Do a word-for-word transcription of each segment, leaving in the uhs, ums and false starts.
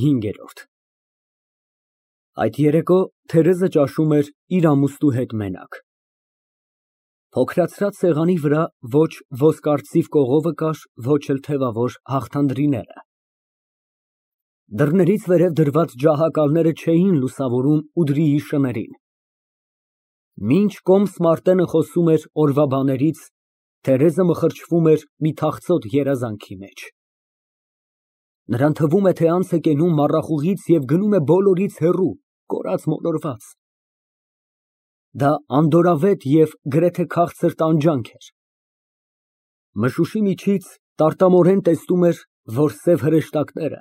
ՀԻՆԳԵՐՈՐԴ Այդ երեկո Թերեզը ճաշում էր իր ամուսնու հետ մենակ։ Փոքրացրած սեղանի վրա ոչ ոսկարծիվ կողովը կար, ոչ էլ թևավոր հաղթանդրիները։ Դռներից վերև դրված ջահակալները չէին լուսավորում ուդրիի շներին։ Մինչ կոմս Մարտենը խոսում էր օրվա բաներից, Թերեզը մխրճվում էր մի թախծոտ երազանքի մեջ։ Նրան թվում է, թե անց է կենում մառախուղից և գնում է բոլորից հեռու, կորած֊մոլորված։ Դա անդորրավետ և գրեթե քաղցր տանջանք էր։ Մշուշի միջից տարտամորեն տեսնում էր, որ սև հրեշտակները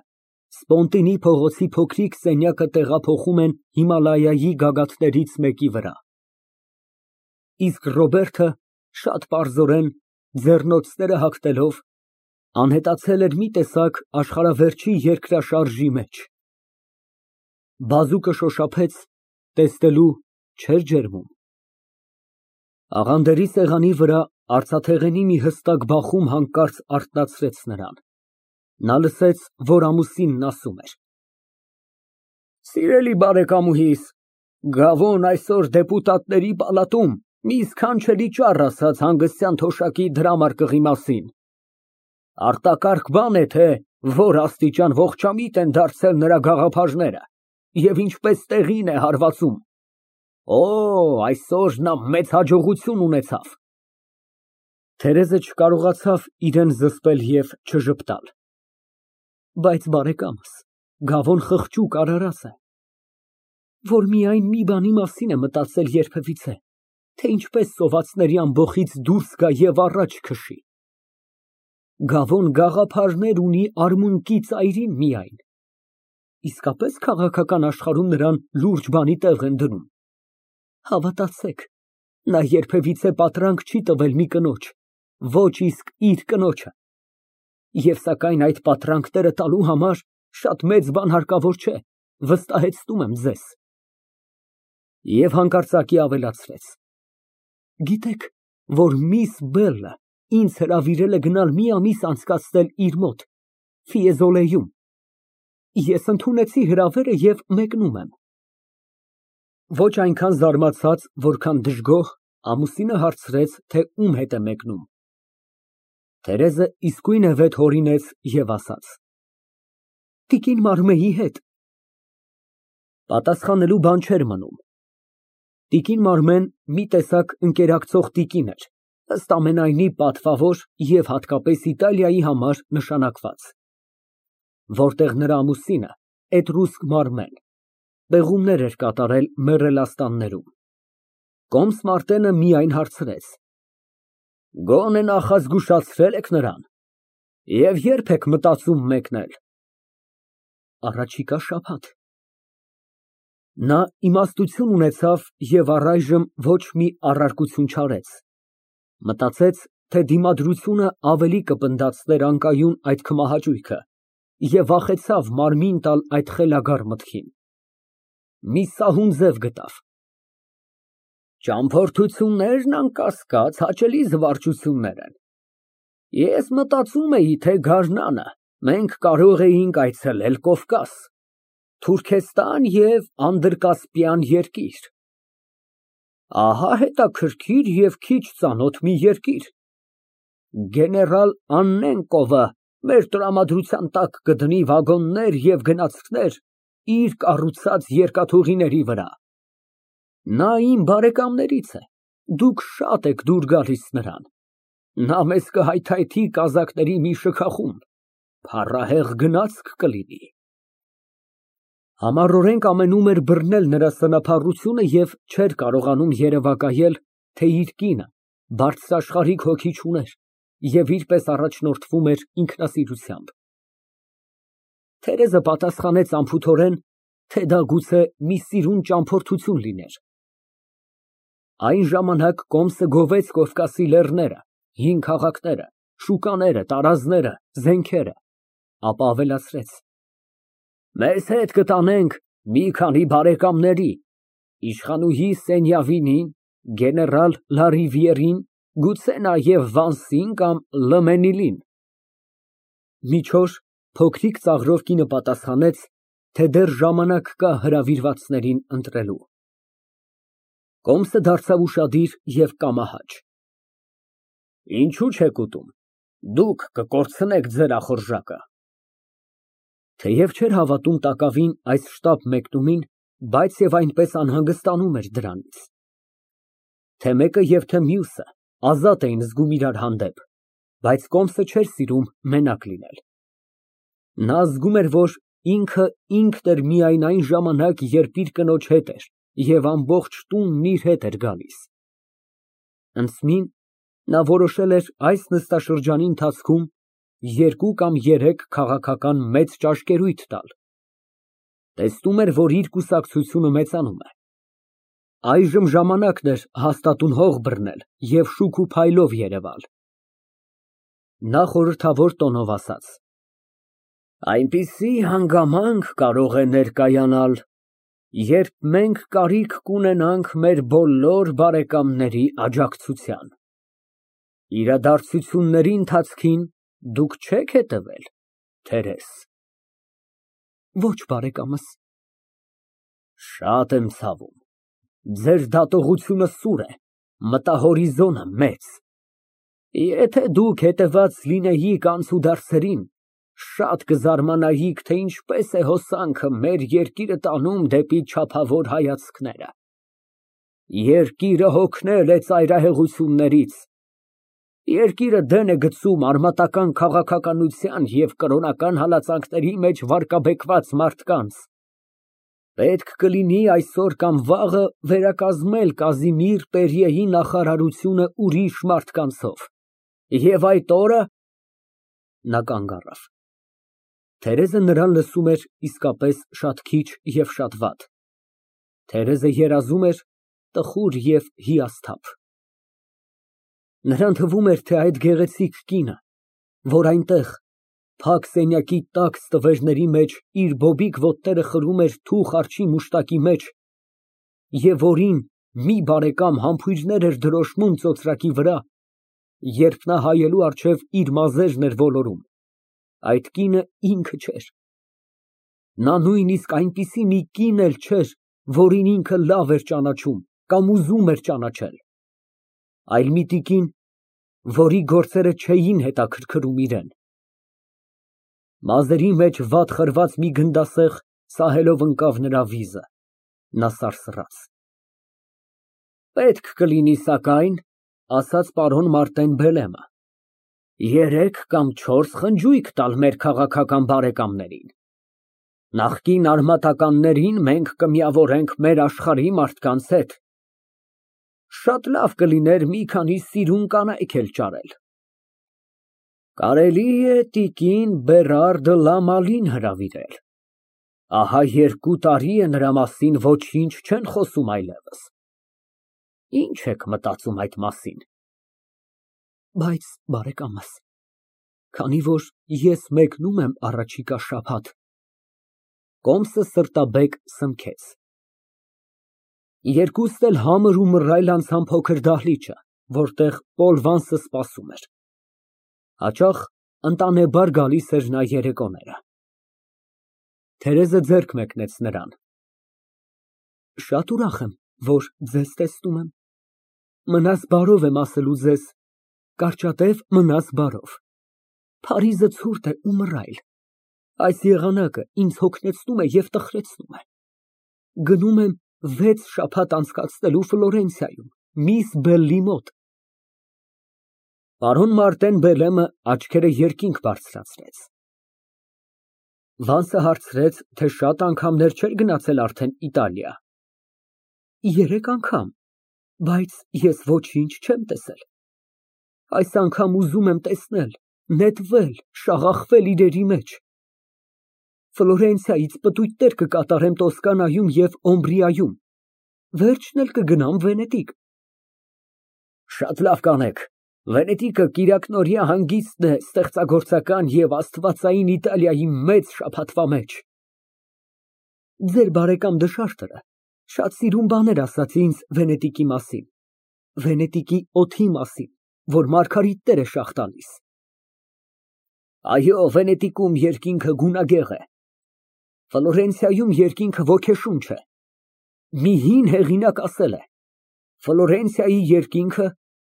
Սպոնտինի փողոցի փոքրիկ սենյակը տեղափոխում են Հիմալայայի գագաթներից մեկի վրա։ Իսկ Ռոբերտը շատ պարզորեն, ձեռնոցները հագնելով, անհետացել էր մի տեսակ աշխարհավերջի երկրաշարժի մեջ։ Բազուկը շոշափեց, տեսնելու չէր ջերմում։ Աղանդերի սեղանի վրա արծաթեղենի մի հստակ բախում հանկարծ արթնացրեց նրան։ Նա լսեց, որ ամուսինն ասում էր. Սիրելի բարեկամուհիս, Գավոն այսօր դեպուտատների պալատում մի սքանչելի ճառ ասաց հանգստյան թոշակի դրամարկղի մասին։ Արտակարգ բան է, թե որ աստիճան ողջամիտ են դարձել նրա գաղափարները և ինչպես տեղին է հարվածում։ Օ, այսօր նա մեծ հաջողություն ունեցավ։ Թերեզը չկարողացավ իրան զսպել և չժպտալ։ Բայց բարեկամս, Գավոն խղճուկ արարած է, որ միայն մի բանի մասին է մտածել երբևիցե, թե ինչպես սովածների ամբոխից դուրս գա և առաջ քշի։ Գավոն գաղափարներ ունի արմունկի ծայրին միայն։ Իսկապես քաղաքական աշխարհում նրան լուրջ բանի տեղ են դնում։ Հավատացեք, նա երբևիցե պատրանք չի տվել մի կնոջ, ոչ իսկ իր կնոջը։ Եվ սակայն այդ պատրանքները տալու համար շատ մեծ բան հարկավոր չէ, վստահեցնում եմ ձեզ։ Եվ հանկարծակի ավելացրեց. Գիտեք, որ միս Բելլը ինձ հրավիրել է գնալ մի ամիս անցկացնել իր մոտ, Ֆիեզոլեում։ Ես ընդունեցի հրավերը և մեկնում եմ։ Ոչ այնքան զարմացած, որքան դժգոհ, ամուսինը հարցրեց, թե ում հետ է մեկնում։ Թերեզը իսկույն է վետ հորինեց և ասաց. Տիկին Մարմեի հետ։ Պատասխանելու բան չէր մնում։ Տիկին Մարմեն մի տեսակ ընկերակցող տիկին էր, ըստ ամենայնի պատվավոր և հատկապես Իտալիայի համար նշանակված, որտեղ նրա ամուսինը Էտրուսկ Մարմեն պեղումներ էր կատարել մեռելաստաններում։ Կոմս Մարտենը միայն հարցրեց. Գոնե նախազգուշացրե՞լ եք նրան և ե՞րբ եք մտածում մեկնել։ Առաջիկա շաբաթ։ Նա իմաստություն ունեցավ և առայժմ ոչ մի առարկություն չարեց։ Մտածեց, թե դիմադրությունը ավելի կպնդացներ անկայուն այդ քմահաճույքը և վախեցավ մարմին տալ այդ խելագար մտքին։ Մի սահուն ձև գտավ. Ճամփորդություններն, անկասկած, հաճելի զվարճություններ են։ Ես մտածում էի, թե գարնանը մենք կարող էինք այցելել Կովկաս, Թուրքեստան և Անդրկասպյան երկիր։ Ահա հետաքրքիր և քիչ ծանոթ մի երկիր։ Գեներալ Աննենկովը մեր տրամադրության տակ կդնի վագոններ և գնացքներ իր կառուցած երկաթուղիների վրա։ Նա իմ բարեկամներից է, դուք շատ եք դուր գալիս նրան։ Նա մեզ կհայթայթի կազակների մի շքախումբ, փառահեղ գնացք կլինի։ Համառորեն կամենում էր բռնել նրա սնափառությունը և չէր կարողանում երևակայել, թե իր կինը բարձրաշխարհիկ հոգի չուներ և իր պես առաջնորդվում էր ինքնասիրությամբ։ Թերեզը պատասխանեց անփութորեն, թե դա գուցե մի սիրուն ճամփորդություն լիներ։ Այն ժամանակ կոմսը գովեց Կովկասի լեռները, հին քաղաքները, շուկաները, տարազները, զենքերը, ապա ավելացրեց. Մեզ հետ կտանենք մի քանի բարեկամների, իշխանուհի Սենյավինին, գեներալ Լարիվիերին, գուցե նաև Վանսին կամ Լըմենիլին։ Մի չոր փոքրիկ ծաղրով կինը պատասխանեց, թե դեռ ժամանակ կա հրավիրվածներին ընտրելու։ Կոմսը դարձավ ուշադիր և կամահաճ։ Ինչո՞ւ չեք ուտում, դուք կկորցնեք ձեր ախորժակը։ Թեև չէր հավատում տակավին այս շտապ մեկնումին, բայց և այնպես անհանգստանում էր դրանից։ Թե մեկը և թե մյուսը ազատ էին զգում իրար հանդեպ, բայց Կոմսը չէր սիրում մենակ լինել։ Նա զգում էր, որ ինքը ինքն էր միայն այն ժամանակ, երբ իր կնոջ հետ էր և ամբողջ տունն իր հետ էր գալիս։ Ընդսմին նա որոշել էր այս նստաշրջանի ընթացքում երկու կամ երեք քաղաքական մեծ ճաշկերույթ տալ։ Տեսնում էր, որ իր կուսակցությունը մեծանում է։ Այժմ ժամանակն էր հաստատուն հող բռնել և շուք ու փայլով երևալ։ Նա խորհրդավոր տոնով ասաց. Այնպիսի հանգամանք կարող է ներկայանալ, երբ մենք կարիք կունենանք մեր բոլոր բարեկամների աջակցության։ Իրադարձությունների ընթացքին դուք չե՞ք հետևել, Թերես։ Ոչ, բարեկամս։ Շատ եմ ցավում, ձեր դատողությունը սուր է, մտահորիզոնը մեծ։ Եթե դուք հետևած լինեիք անցուդարձերին, շատ կզարմանայիք, թե ինչպես է հոսանքը մեր երկիրը տանում դեպի չափավոր հայացքները։ Երկիրը հոգնել է ծայրահեղություններից, երկիրը դեն է գցում արմատական քաղաքականության և կրոնական հալածանքների մեջ վարկաբեկված մարդկանց։ Պետք կլինի այսօր կամ վաղը վերակազմել Կազիմիր Պերիեի նախարարությունը ուրիշ մարդկանցով, և այդ օրը… Նա կանգ առավ։ Թերեզը նրան լսում էր իսկապես շատ քիչ և շատ վատ։ Թերեզը երազում էր տխուր և հիասթափ։ Նրան թվում էր, թե այդ գեղեցիկ կինը, որ այնտեղ փակ սենյակի տաք ստվերների մեջ իր բոբիկ ոտները խրում էր թուխ արջի մուշտակի մեջ և որին մի բարեկամ համբույրներ էր դրոշմում ծոծրակի վրա, երբ նա հայելու առջև իր մազերն էր ոլորում, այդ կինը ինքը չէր։ Նա նույնիսկ այնպիսի մի կին էլ չէր, որին ինքը լավ էր ճանաչում կամ ուզում էր ճանաչել, այլ մի տիկին, որի գործերը չէին հետաքրքրում իրան։ Մազերի մեջ վատ խրված մի գնդասեղ սահելով ընկավ նրա վիզը, նա սարսռաց։ Պետք կլինի սակայն, ասաց պարոն Մարտեն Բելեմը, երեք կամ չորս խնջույք տալ մեր քաղաքական բարեկամներին։ Նախկին արմատականներին մենք կմիավորենք մեր աշխարհի մարդկանց հետ։ Շատ լավ կլիներ մի քանի սիրուն կանայք էլ ճարել։ Կարելի է տիկին Բերար դը Լամալին հրավիրել, ահա երկու տարի է նրա մասին ոչինչ չեն խոսում այլևս։ Ինչ եք մտածում այդ մասին։ Բայց, բարեկամս, քանի որ ես մեկնում եմ առաջիկա շաբաթ… Կոմսը սրտաբեկ սնքեց։ Երկուստ էլ համր ու մռայլ անցան փոքր դահլիճը, որտեղ Պոլ Վանսը սպասում էր։ Հաճախ ընտանեբար գալիս էր նա երեկոները։ Թերեզը ձեռք մեկնեց նրան։ Շատ ուրախ եմ, որ ձեզ տեսնում եմ։ Մնաս բարով եմ ասելու ձեզ, կարճատև մնաս բարով։ Փարիզը ցուրտ է ու մռայլ։ Այս եղանակը ինձ հոգնեցնում է և տխրեցնում է։ Գնում եմ վեց շաբաթ անցկացնելու Ֆլորենցիայում, միս Բելլի մոտ։ Պարոն Մարտեն Բելեմը աչքերը երկինք բարձրացրեց։ Վանսը հարցրեց, թե շատ անգամներ չէր գնացել արդեն Իտալիա։ Երեք անգամ, բայց ես ոչինչ չեմ տեսել։ Այս անգամ ուզում եմ տեսնել, նետվել, շաղախվել իրերի մեջ։ Ֆլորենցիայից պտույտներ կկատարեմ Տոսկանայում և Օմբրիայում, վերջն էլ կգնամ Վենետիկ։ Շատ լավ կանեք, Վենետիկը կիրակնօրյա հանգիստն է ստեղծագործական և աստվածային Իտալիայի մեծ շաբաթվա մեջ։ Ձեր բարեկամ Դշարտերը շատ սիրուն բաներ ասաց ինձ Վենետիկի մասին, Վենետիկի օդի մասին, որ մարգարիտներ է շաղ տալիս։ Այո, Վենետիկում երկինքը գունագեղ է։ Ֆլորենցիայում երկինքը ոգեշունչ է։ Մի հին հեղինակ ասել է. Ֆլորենցիայի երկինքը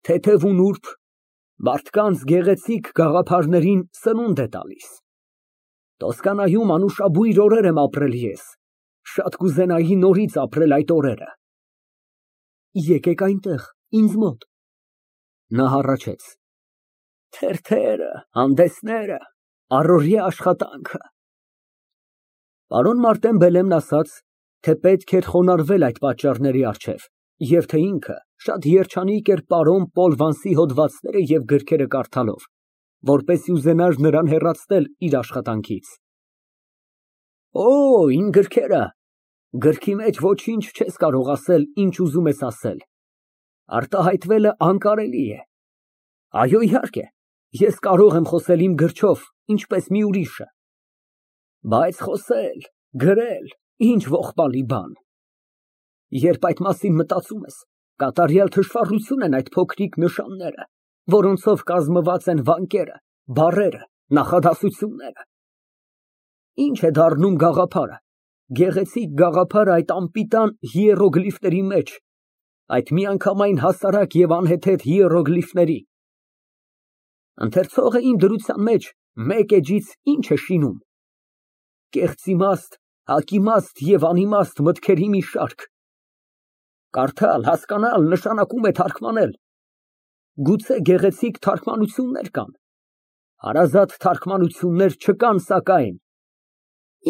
թեթև ու նուրբ, մարդկանց գեղեցիկ գաղափարներին սնունդ է տալիս։ Տոսկանայում անուշաբույր օրեր եմ ապրել ես, շատ կուզենայի նորից ապրել այդ օրերը։ Եկեք այնտեղ, ինձ մոտ։ Նա հառաչեց. Թերթերը, հանդեսները, առօրյա աշխատանքը։ Պարոն Մարտեն Բելեմն ասաց, թե պետք էր խոնարհվել այդ պատճառների առջև, և թե ինքը շատ երջանիկ էր պարոն Պոլ Վանսի հոդվածները և գրքերը կարդալով, որպեսզի ուզենար նրան հեռացնել իր աշխատանքից։ Օ, իմ գրքերը, գրքի մեջ ոչինչ չես կարող ասել, ինչ ուզում ես ասել, արտահայտվելը անկարելի է։ Այո, իհարկե, ես կարող եմ խոսել իմ գրչով, ինչպես մի ուրիշը, բայց խոսել, գրել, ինչ ողբալի բան։ Երբ այդ մասին մտածում ես, կատարյալ թշվառություն են այդ փոքրիկ նշանները, որոնցով կազմված են վանկերը, բառերը, նախադասությունները։ Ինչ է դառնում գաղափարը, գեղեցիկ գաղափարը այդ անպիտան հիերոգլիֆների մեջ, այդ միանգամայն հասարակ և անհեթեթ հիերոգլիֆների։ Ընթերցողը իմ դրության մեջ մեկ էջից ինչ է շինում։ Կեղծ իմաստ, հակիմաստ և անիմաստ մտքերի մի շարք։ Կարդալ, հասկանալ նշանակում է թարգմանել։ Գուցե գեղեցիկ թարգմանություններ կան, հարազատ թարգմանություններ չկան սակայն։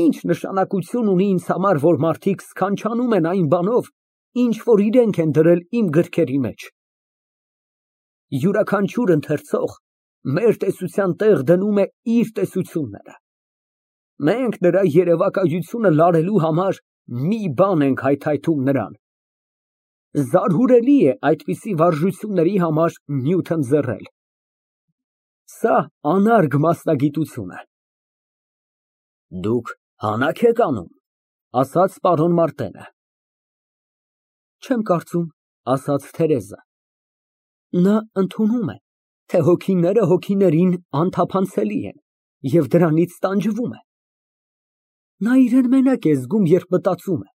Ինչ նշանակություն ունի ինձ համար, որ մարդիկ սքանչանում են այն բանով, ինչ որ իրենք են դրել իմ գրքերի մեջ։ Յուրաքանչյուր ընթերցող մեր տեսության տեղ դնում է իր տեսությունները։ Մենք նրա երևակայությունը լարելու համար մի բան ենք հայթայթում նրան։ Զարհուրելի է այդպիսի վարժությունների համար նյութ ընձեռել։ Սա անարգ մասնագիտություն է։ Դուք հանաք եք անում, ասաց պարոն Մարտենը։ Չեմ կարծում, ասաց Թերեզը։ Նա ընդունում է, թե հոգիները հոգիներին անթափանցելի են և դրանից տանջվում է։ Նա իրան մենակ է զգում, երբ մտածում է,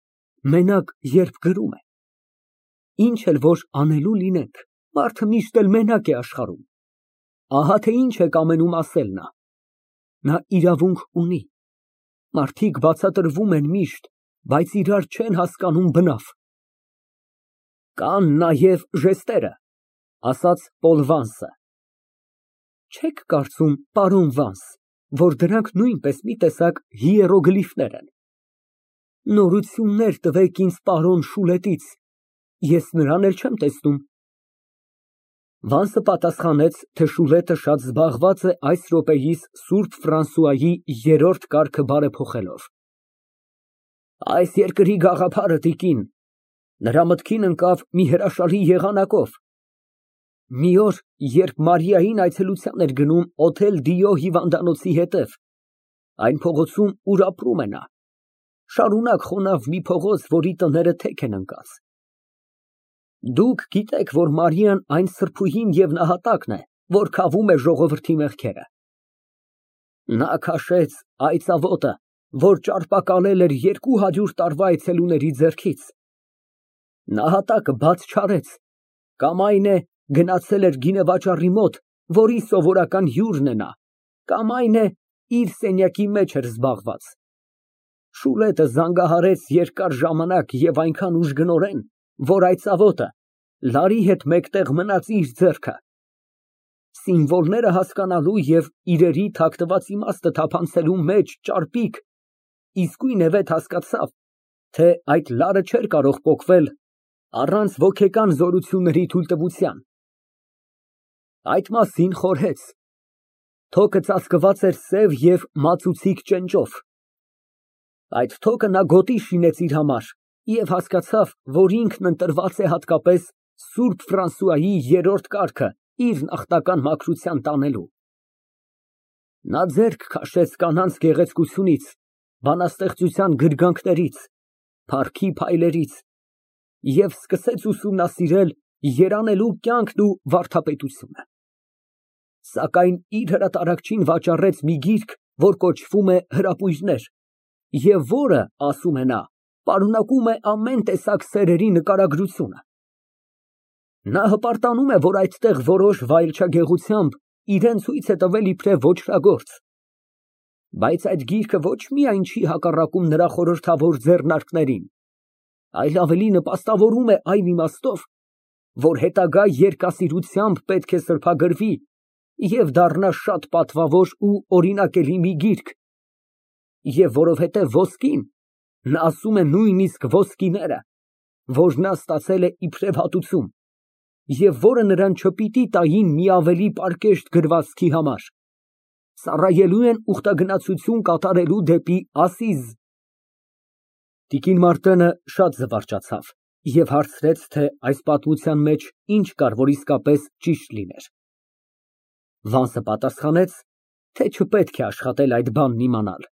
մենակ, երբ գրում է։ Ինչ էլ որ անելու լինենք, մարդը միշտ էլ մենակ է աշխարհում։ Ահա թե ինչ է կամենում ասել նա։ Նա իրավունք ունի։ Մարդիկ բացատրվում են միշտ, բայց իրար չեն հասկանում բնավ։ Կան նաև ժեստերը, ասաց Պոլ Վանսը։ Չեք կարծում, պարոն Վանս, որ դրանք նույնպես մի տեսակ հիերոգլիֆներ են։ Նորություններ տվեք ինձ պարոն Շուլետից, ես նրան էլ չեմ տեսնում։ Վանսը պատասխանեց, թե Շուլետը շատ զբաղված է այս րոպեիս Սուրբ Ֆրանսուայի երրորդ կարգը բարեփոխելով։ Այս երկրի գաղափարը, տիկին, նրա մտքին ընկավ մի հրաշալի եղանակով։ Մի օր, երբ Մարիային այցելության էր գնում Օթել Դիո հիվանդանոցի հետև, այն փողոցում, ուր ապրում է նա, շարունակ խոնավ մի փողոց, որի տները թեք են ընկած։ Դուք գիտեք, որ Մարիան այն սրբուհին և նահատակն է, որ քավում է ժողովրդի մեղքերը։ Նա քաշեց այծաղոտը, որ ճարպակալել էր երկու հարյուր տարվա այցելուների ձեռքից։ Նահատակը բաց չարեց, կամ այն է, գնացել էր գինեվաճառի մոտ, որի սովորական հյուրն է նա, կամ այն է, իր սենյակի մեջ էր զբաղված։ Շուլետը զանգահարեց երկար ժամանակ և այնքան ուժգնորեն, որ այծաղոտը լարի հետ մեկտեղ մնաց իր ձեռքը։ Սիմվոլները հասկանալու և իրերի թաքնված իմաստը թափանցելու մեջ ճարպիկ, իսկույնևեթ հասկացավ, թե այդ լարը չէր կարող պոկվել առանց ոգեկան զորությունների թույլտվության։ Այդ մասին խորհեց։ Թոքը ծածկված էր սև և մածուցիկ ճենճով։ Այդ թոքը նա գոտի շինեց իր համար և հասկացավ, որ ինքն ընտրված է հատկապես Սուրբ Ֆրանսուայի երրորդ կարգը իր նախնական մաքրության տանելու։ Նա ձեռք քաշեց կանանց գեղեցկությունից, բանաստեղծության գրգանքներից, փառքի փայլերից և սկսեց ուսումնասիրել երանելու կյանքն ու վարդապետությունը։ Սակայն իր հրատարակչին վաճառեց մի գիրք, որ կոչվում է Հրապույրներ, Եվ որը, ասում է նա, պարունակում է ամեն տեսակ սերերի նկարագրությունը։ Նա հպարտանում է, որ այդտեղ որոշ վայելչագեղությամբ իրան ցույց է տվել իբրև ոճրագործ, բայց այդ գիրքը ոչ միայն չի հակառակում նրա խորհրդավոր ձեռնարկներին, այլ ավելի նպաստավորում է այն իմաստով, որ հետագա երկասիրությամբ պետք է սրբագրվի և դառնա շատ պատվավոր ու օրինակելի մի գիրք, և որովհետև ոսկին, նա ասում է նույնիսկ ոսկիները, որ նա ստացել է իբրև հատուցում, և որը նրան չպիտի տային մի ավելի պարկեշտ գրվածքի համար, ծառայելու են ուխտագնացություն կատարելու դեպի ասիզ։ Տիկին Մարտենը շատ զվարճացավ և հարցրեց, թե այս պատմության մեջ ինչ կար, որ իսկապես ճիշտ լիներ։ Վանսը պատասխանեց, թե չպետք է աշխատել այդ բանն իմանալ։